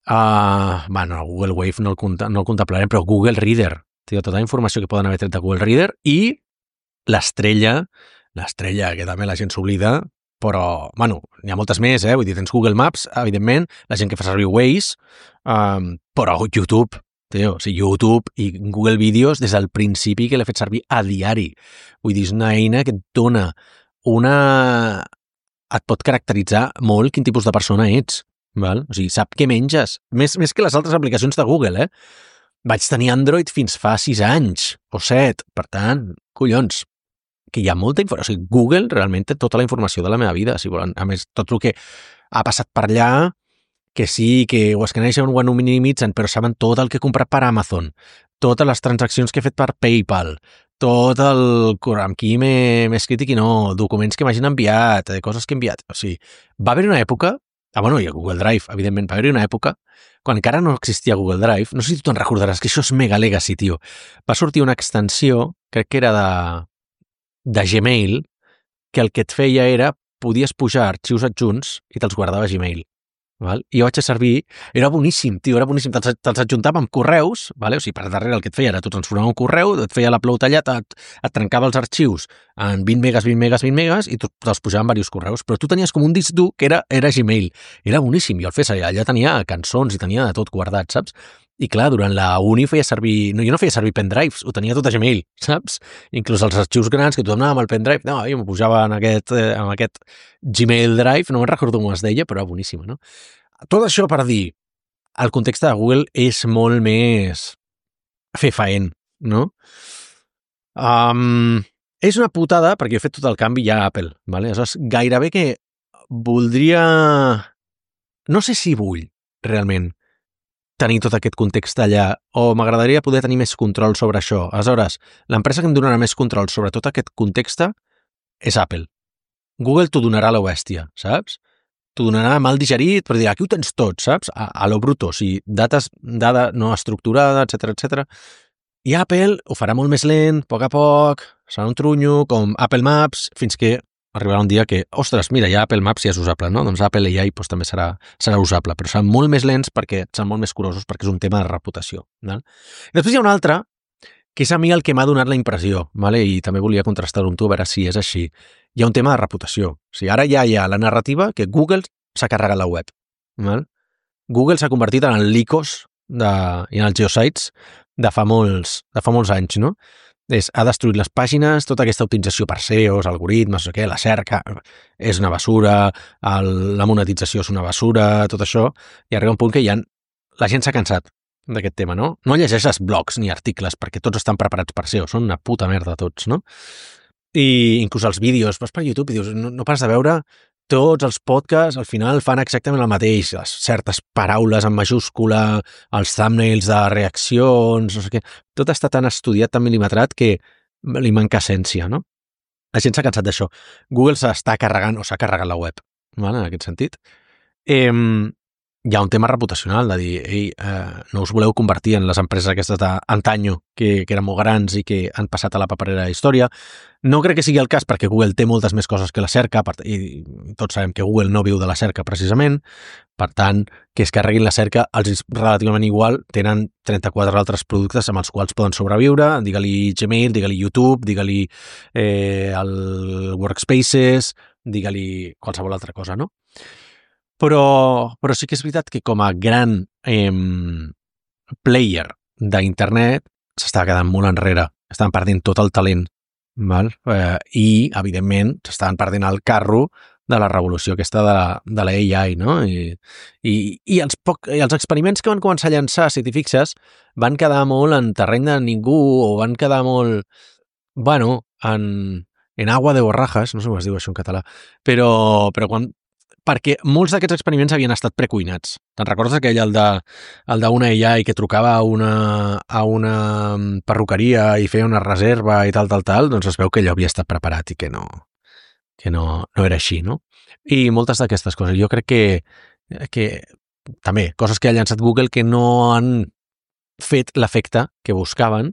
Bueno, Google Wave no el contemplarem, però Google Reader. Tio, tota la informació que poden haver tret de Google Reader i l'estrella, que també la gent s'oblida, però, bueno, n'hi ha moltes més, vull dir, tens Google Maps, evidentment, la gent que fa servir Waze, però YouTube, tio, o sigui, YouTube i Google Vídeos des del principi que l'he fet servir a diari. Vull dir, és una eina que et dona et pot caracteritzar molt quin tipus de persona ets, val? O sigui, sap què menges, més que les altres aplicacions de Google, Vaig tenir Android fins fa 6 anys, o 7, per tant, collons, que hi ha molta informació. O sigui, Google realment té tota la informació de la meva vida, si volen. A més, tot el que ha passat per allà, que sí, que ho escaneixen o ho minimitzen, però saben tot el que he comprat per Amazon, totes les transaccions que he fet per PayPal, tot amb qui m'he escrit i qui no, documents que m'hagin enviat, coses que he enviat. O sigui, va haver una època, bueno, i a Google Drive, evidentment, va haver una època, quan encara no existia Google Drive, no sé si tu te'n recordaràs, que això és mega legacy, tio. Va sortir una extensió, crec que era de Gmail, que el que et feia era, podies pujar arxius adjunts i te'ls guardava a Gmail. Val? I jo vaig a servir, era boníssim, tio, era boníssim, te'ls adjuntava amb correus, vale? O sigui, per darrere el que et feia era, tu transformava un correu, et feia l'upload allà, et trencava els arxius en 20 megas, i te'ls pujava en diversos correus, però tu tenies com un disc dur que era Gmail, era boníssim, i el fes allà tenia cançons i tenia de tot guardat, saps? I clar, durant la uni feia servir... No, jo no feia servir pendrives, ho tenia tot a Gmail, saps? Inclús els arxius grans que tothom anava amb el pendrive, no, jo m'ho pujava en aquest Gmail Drive, no me'n recordo com es deia, però era boníssima, no? Tot això per dir, el context de Google és molt més fefaent, no? És una putada, perquè he fet tot el canvi ja a Apple, ¿vale? Aleshores, gairebé que voldria... No sé si vull, realment, tenir tot aquest context allà, o m'agradaria poder tenir més control sobre això. Aleshores, l'empresa que em donarà més control sobre tot aquest context és Apple. Google t'ho donarà a la bèstia, saps? T'ho donarà mal digerit, però dirà, aquí ho tens tot, saps? A lo bruto, o sigui, dada no estructurada, etc. I Apple ho farà molt més lent, a poc, serà un trunyo, com Apple Maps, fins que arribarà un dia que, ostres, mira, ja Apple Maps ja és usable, no? Doncs Apple AI doncs, també serà usable, però seran molt més lents perquè seran molt més curosos, perquè és un tema de reputació. No? I després hi ha un altre, que és a mi el que m'ha donat la impressió, vale? I també volia contrastar-ho amb tu, a veure si és així. Hi ha un tema de reputació. O sigui, ara ja hi ha la narrativa que Google s'ha carregat la web. Val? Google s'ha convertit en el Lycos i en els geosites de fa molts anys, no? Ha destruït les pàgines, tota aquesta optimització per SEOs, algoritmes, no sé què, la cerca és una basura, la monetització és una basura, tot això, i arriba un punt que la gent s'ha cansat d'aquest tema, no? No llegeixes blogs ni articles perquè tots estan preparats per SEO, són una puta merda tots, no? I inclús els vídeos, vas per YouTube i dius, no pares de veure, tots els podcasts al final fan exactament el mateix, les certes paraules en majúscula, els thumbnails de reaccions, no sé què, tot està tan estudiat, tan mil·limetrat que li manca essència, no? La gent s'ha cansat d'això. Google s'ha carregat la web, ¿vale? En aquest sentit. hi ha un tema reputacional de dir, ei, no us voleu convertir en les empreses aquestes d'antanyo que eren molt grans i que han passat a la paperera de la història. No crec que sigui el cas perquè Google té moltes més coses que la cerca i tots sabem que Google no viu de la cerca precisament, per tant, que es carreguin la cerca els és relativament igual, tenen 34 altres productes amb els quals poden sobreviure, digue-li Gmail, digue-li YouTube, digue-li el Workspaces, digue-li qualsevol altra cosa, no? Però sí que és veritat que com a gran player d'internet s'està quedant molt enrere, estan perdent tot el talent, val? I, evidentment, s'estan perdent el carro de la revolució aquesta de la AI, no? I els experiments que van començar a llançar, si t'hi fixes, van quedar molt en terreny de ningú o van quedar molt, bueno, en agua de borrajas, no sé com es diu això en català, però perquè molts d'aquests experiments havien estat precuinats. Te'n recordes aquell, el d'una AI que trucava a una perruqueria i feia una reserva i tal? Doncs es veu que allò havia estat preparat i que no era així, no? I moltes d'aquestes coses. Jo crec que també, coses que ha llançat Google que no han fet l'efecte que buscaven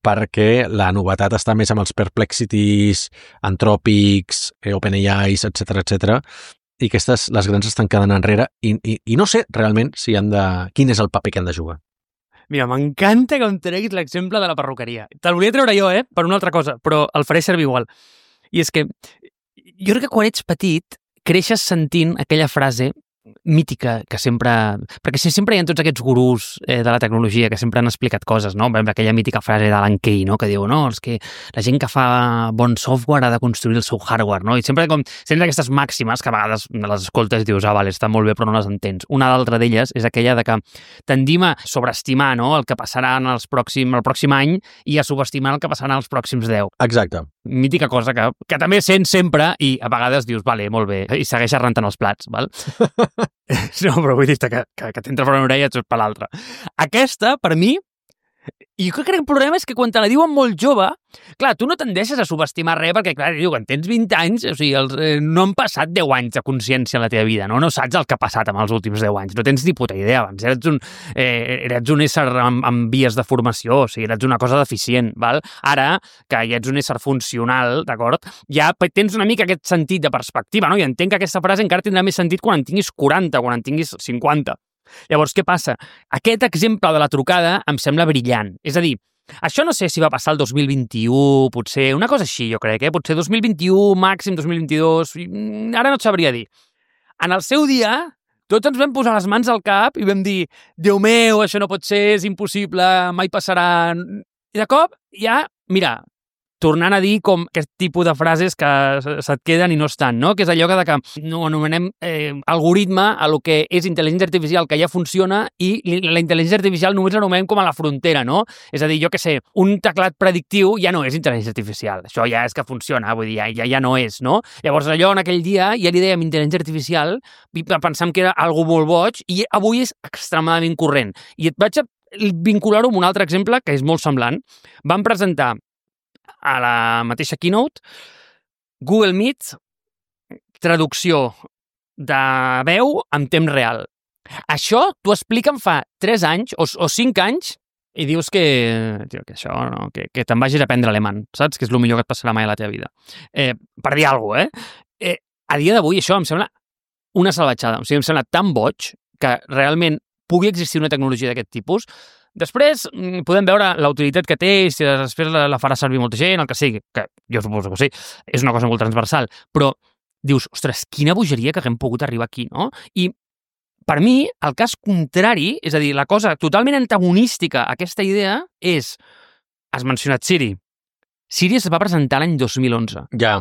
perquè la novetat està més amb els Perplexities, Anthropics, OpenAIs, etc, i aquestes, les grans estan quedant enrere i no sé realment quin és el paper que han de jugar. Mira, m'encanta que em treguis l'exemple de la perruqueria. Te'l volia treure jo, per una altra cosa, però el faré servir igual. I és que jo crec que quan ets petit creixes sentint aquella frase mítica que sempre... Perquè sempre hi ha tots aquests gurús de la tecnologia que sempre han explicat coses, no? Aquella mítica frase d'Alan Kay, no? Que diu, no, és que la gent que fa bon software ha de construir el seu hardware, no? I sempre aquestes màximes que a vegades les escoltes i dius, vale, està molt bé, però no les entens. Una d'altra d'elles és aquella de que tendim a sobreestimar, no?, el que passarà el pròxim any i a subestimar el que passarà els pròxims 10. Exacte. Mítica cosa que també sents sempre i a vegades dius, vale, molt bé, i segueixes rentant els plats, val? No, però vull dir-te que t'entra per una orella i et surt per l'altra. Aquesta, per mi, i jo crec que el problema és que quan te la diuen molt jove, clar, tu no tendeixes a subestimar res perquè, clar, quan tens 20 anys, o sigui, no han passat 10 anys de consciència en la teva vida, no saps el que ha passat amb els últims 10 anys, no tens ni puta idea, abans eres un ésser amb vies de formació, o sigui, eres una cosa deficient, val? Ara, que ja ets un ésser funcional, d'acord? Ja tens una mica aquest sentit de perspectiva, no? I entenc que aquesta frase encara tindrà més sentit quan en tinguis 40, quan en tinguis 50. Llavors, què passa? Aquest exemple de la trucada em sembla brillant. És a dir, això no sé si va passar el 2021, potser, una cosa així, jo crec, potser 2021, màxim 2022, ara no et sabria dir. En el seu dia, tots ens vam posar les mans al cap i vam dir, Déu meu, això no pot ser, és impossible, mai passarà. I de cop, ja, mira, tornant a dir com aquest tipus de frases que se't queden i no estan, no? Que és allò que no anomenem algoritme a lo que és intel·ligència artificial, que ja funciona, i la intel·ligència artificial només l'anomenem com a la frontera, no? És a dir, jo què sé, un teclat predictiu ja no és intel·ligència artificial. Això ja és que funciona, vull dir, ja no és, no? Llavors, allò en aquell dia ja li dèiem intel·ligència artificial i pensàvem que era algo molt boig i avui és extremadament corrent. I et vaig a vincular-ho amb un altre exemple que és molt semblant. Vam presentar a la mateixa keynote Google Meet, traducció de veu en temps real. Això t'ho expliquen fa 3 anys o 5 anys i dius que això, no, que te'n vagis a aprendre alemany, saps? Que és el millor que et passarà mai a la teva vida. Per dir alguna cosa, a dia d'avui això em sembla una salvatjada. O sigui, em sembla tan boig que realment pugui existir una tecnologia d'aquest tipus. Després podem veure la utilitat que té i si després la farà servir molta gent, el que sigui, que jo suposo que sí, és una cosa molt transversal, però dius, ostres, quina bogeria que haguem pogut arribar aquí, no? I per mi, el cas contrari, és a dir, la cosa totalment antagonística a aquesta idea és, has mencionat Siri. Siri es va presentar l'any 2011. Ja.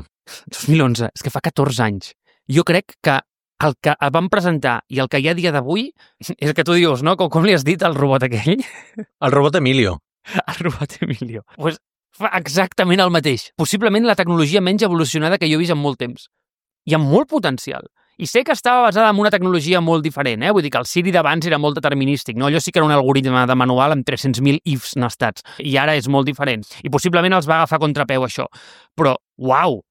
2011, és que fa 14 anys. Jo crec que el que vam presentar i el que hi ha a dia d'avui és el que tu dius, no? Com li has dit al robot aquell? El robot Emilio. El robot Emilio. Pues fa exactament el mateix. Possiblement la tecnologia menys evolucionada que jo he vist en molt temps. I amb molt potencial. I sé que estava basada en una tecnologia molt diferent, Vull dir que el Siri d'abans era molt determinístic, no? Allò sí que era un algoritme de manual amb 300.000 ifs nestats. I ara és molt diferent. I possiblement els va agafar contrapeu això. Però, uau!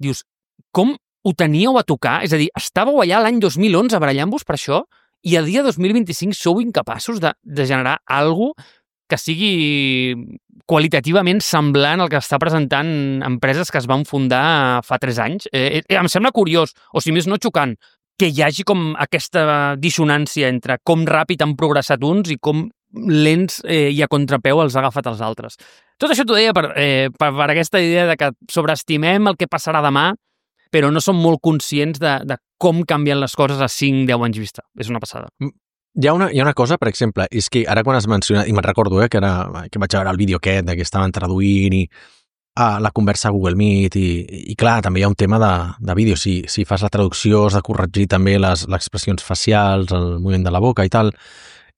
Dius, com ho teníeu a tocar? És a dir, estàveu allà l'any 2011 barallant-vos per això i a dia 2025 sou incapaços de generar alguna cosa que sigui qualitativament semblant al que està presentant empreses que es van fundar fa 3 anys. Em sembla curiós, o si més no xocant, que hi hagi com aquesta dissonància entre com ràpid han progressat uns i com lents i a contrapeu els ha agafat els altres. Tot això t'ho deia per aquesta idea de que sobreestimem el que passarà demà, però no som molt conscients de com canvien les coses a 5-10 anys vista. És una passada. Hi ha una cosa, per exemple, és que ara quan has mencionat, i me'n recordo que vaig veure el vídeo aquest que estaven traduint i la conversa a Google Meet i clar, també hi ha un tema de vídeo. Si fas la traducció has de corregir també les expressions facials, el moviment de la boca i tal.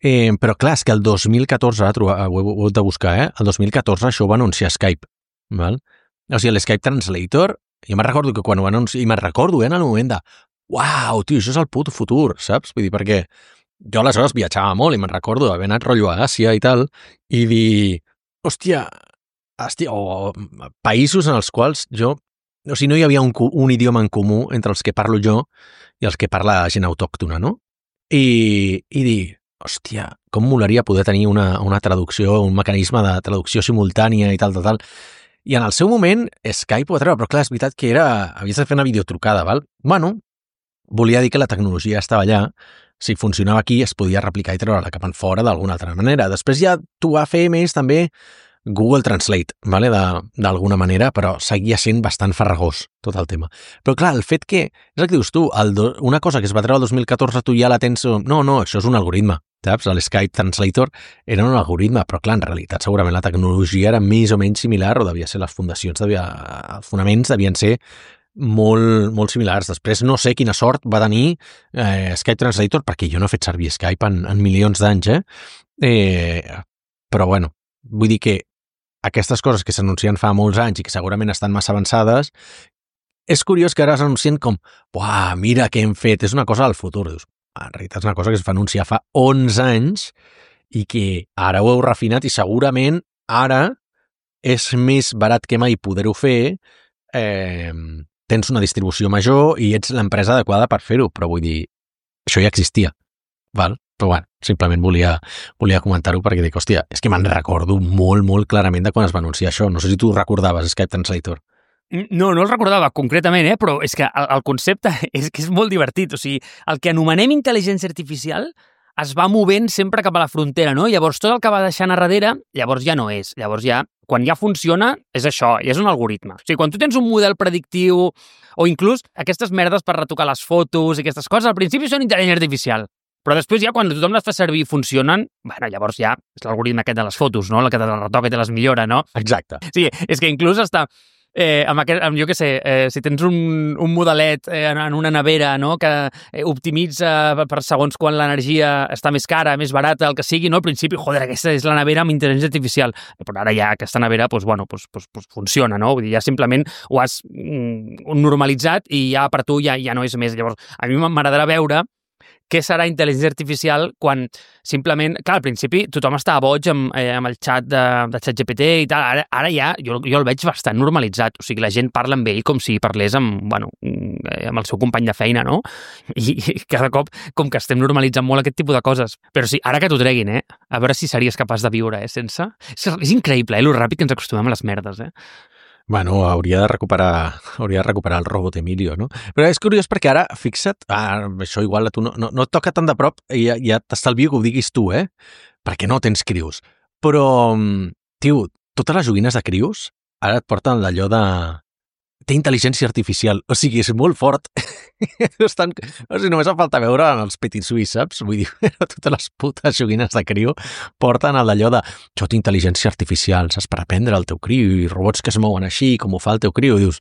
Però clar, és que el 2014, ho heu de buscar, el 2014 això ho va anunciar Skype. Val? O sigui, l'Skype Translator, jo me'n recordo que quan ho anunciava, i me'n recordo en el moment de uau, tio, això és el puto futur, saps? Vull dir, perquè jo aleshores viatjava molt i me'n recordo d'haver anat rotllo a Àsia i tal, i dir, hòstia, o països en els quals o sigui, no hi havia un idioma en comú entre els que parlo jo i els que parla gent autòctona, no? I dir, hòstia, com molaria poder tenir una traducció, un mecanisme de traducció simultània i tal. I en el seu moment Skype ho va treure, però clar, és veritat que havies de fer una videotrucada, val? Bueno, volia dir que la tecnologia estava allà, si funcionava aquí es podia replicar i treure-la cap enfora d'alguna altra manera. Després ja t'ho va fer més també Google Translate, vale? D'alguna manera, però seguia sent bastant farragós tot el tema. Però clar, el fet que, és el que dius tu, una cosa que es va treure el 2014 tu ja la tens... No, això és un algoritme, saps? L'Skype Translator era un algoritme, però clar, en realitat segurament la tecnologia era més o menys similar, o devia ser les fundacions, els fonaments devien ser molt, molt similars. Després no sé quina sort va tenir Skype Translator, perquè jo no he fet servir Skype en milions d'anys, però bueno, vull dir que aquestes coses que s'anuncien fa molts anys i que segurament estan massa avançades, és curiós que ara s'anuncien com uah, mira què hem fet, és una cosa del futur. Dius, en realitat és una cosa que es va anunciar fa 11 anys i que ara ho heu refinat i segurament ara és més barat que mai poder-ho fer, tens una distribució major i ets l'empresa adequada per fer-ho, però vull dir, això ja existia, val? Però bueno, simplement volia comentar-ho perquè dic, hòstia, és que me'n recordo molt, molt clarament de quan es va anunciar això. No sé si tu recordaves Skype Translator. No el recordava concretament, però és que el concepte és que és molt divertit. O sigui, el que anomenem intel·ligència artificial es va movent sempre cap a la frontera, no? Llavors, tot el que va deixant a darrere, llavors ja no és. Llavors ja, quan ja funciona, és això, ja és un algoritme. O sigui, quan tu tens un model predictiu o inclús aquestes merdes per retocar les fotos i aquestes coses, al principi són intel·ligència artificial. Però després ja, quan tothom les fa servir i funcionen, bueno, llavors ja és l'algoritme aquest de les fotos, no? El que te les retoca i te les millora, no? Exacte. Sí, és que inclús està... jo què sé, si tens un modelet en una nevera, no? Que optimitza per segons quan l'energia està més cara, més barata, el que sigui, no? Al principi, joder, aquesta és la nevera amb intel·ligència artificial. Però ara ja aquesta nevera, pues funciona, no? Vull dir, ja simplement ho has normalitzat i ja per tu ja no és més. Llavors, a mi m'agradarà veure què serà intel·ligència artificial quan simplement... Clar, al principi tothom estava boig amb el xat de ChatGPT i tal. Ara ja jo el veig bastant normalitzat. O sigui, la gent parla amb ell com si parlés amb el seu company de feina, no? I cada cop com que estem normalitzant molt aquest tipus de coses. Però sí, ara que t'ho treguin, a veure si series capaç de viure, sense... És increïble, lo ràpid que ens acostumem a les merdes, Bueno, hauria de recuperar el robot Emilio, no? Però és curiós perquè ara, fixa't, això igual a tu no et toca tan de prop, ja t'estalvio que ho diguis tu, perquè no tens crios. Però, tio, totes les joguines de crios ara et porten d'allò de... Té intel·ligència artificial, o sigui, és molt fort. O sigui, només em falta veure en els Petit Suisse, saps? Vull dir, totes les putes joguines de crio porten d'allò de això té intel·ligència artificial, saps? Per aprendre el teu crio i robots que es mouen així, com ho fa el teu crio. I dius,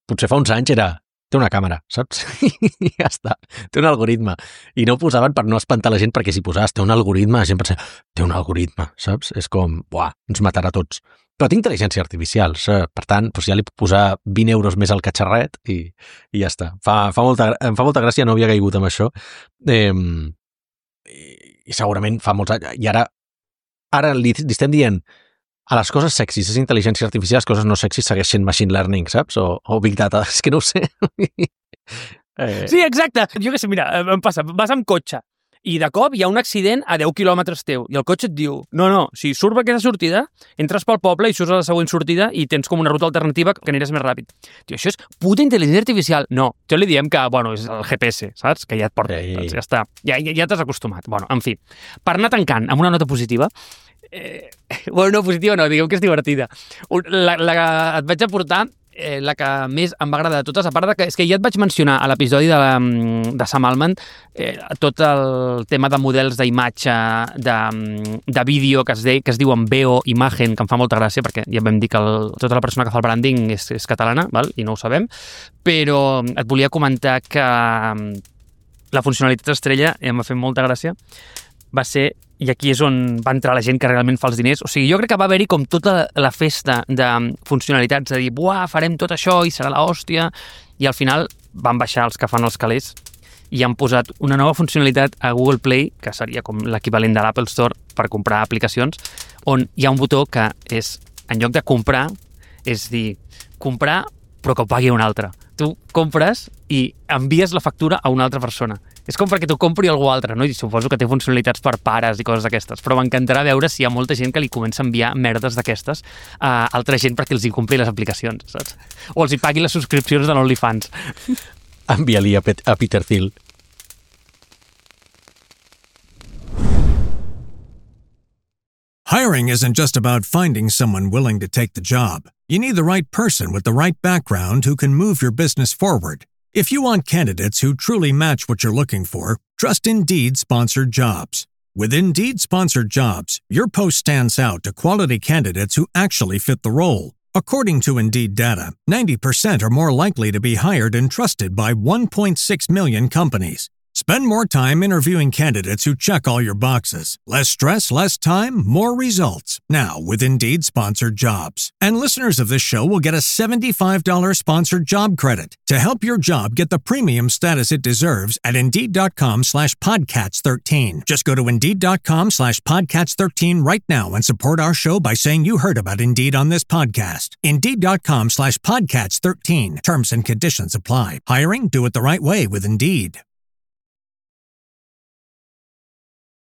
potser fa uns anys té una càmera, saps? I ja està, té un algoritme. I no ho posaven per no espantar la gent, perquè si posaves té un algoritme, la gent pensa, té un algoritme, saps? És com, buah, ens matarà a tots. Però té intel·ligència artificial, per tant, ja li puc posar 20 euros més al catxarret i ja està. Em fa molta gràcia, no havia caigut amb això. I segurament fa molts anys. I ara li estem dient a les coses sexis és intel·ligència artificial, les coses no sexis segueixen machine learning, saps? O big data, és que no ho sé. Sí, exacte. Jo què sé, mira, em passa, vas amb cotxe I de cop hi ha un accident a 10 quilòmetres teu i el cotxe et diu, no, si surt per aquesta sortida, entres pel poble i surts a la següent sortida i tens com una ruta alternativa que aniràs més ràpid. Tio, això és puta intel·ligència artificial. No, jo li diem que, és el GPS, saps? Que ja et porta, doncs ja està. Ja t'has acostumat. En fi, per anar tancant amb una nota positiva, no, positiva no, diguem que és divertida. Et vaig aportar la que més em va agradar de totes, a part de que és que ja et vaig mencionar a l'episodi de Sam Altman tot el tema de models d'imatge, de vídeo que es diuen Veo Imagen, que em fa molta gràcia perquè ja vam dir que tota la persona que fa el branding és catalana, val? I no ho sabem, però et volia comentar que la funcionalitat estrella, em va fer molta gràcia, va ser, i aquí és on va entrar la gent que realment fa els diners, o sigui, jo crec que va haver-hi com tota la festa de funcionalitats, de dir, farem tot això i serà l'hòstia, i al final van baixar els que fan els calés i han posat una nova funcionalitat a Google Play, que seria com l'equivalent de l'Apple Store per comprar aplicacions, on hi ha un botó que és, en lloc de comprar, és dir, comprar però que ho pagui un altre. Tu compres i envies la factura a una altra persona. És com perquè t'ho compri algú altre, no? I suposo que té funcionalitats per pares i coses d'aquestes, però m'encantarà veure si hi ha molta gent que li comença a enviar merdes d'aquestes a altra gent perquè els hi compri les aplicacions, saps? O els hi pagui les subscripcions de l'OnlyFans. Envia-li a Peter Thiel. Hiring isn't just about finding someone willing to take the job. You need the right person with the right background who can move your business forward. If you want candidates who truly match what you're looking for, trust Indeed Sponsored Jobs. With Indeed Sponsored Jobs, your post stands out to quality candidates who actually fit the role. According to Indeed data, 90% are more likely to be hired and trusted by 1.6 million companies. Spend more time interviewing candidates who check all your boxes. Less stress, less time, more results. Now with Indeed Sponsored Jobs. And listeners of this show will get a $75 sponsored job credit to help your job get the premium status it deserves at Indeed.com/Podcats13. Just go to Indeed.com/Podcats13 right now and support our show by saying you heard about Indeed on this podcast. Indeed.com/Podcats13. Terms and conditions apply. Hiring? Do it the right way with Indeed.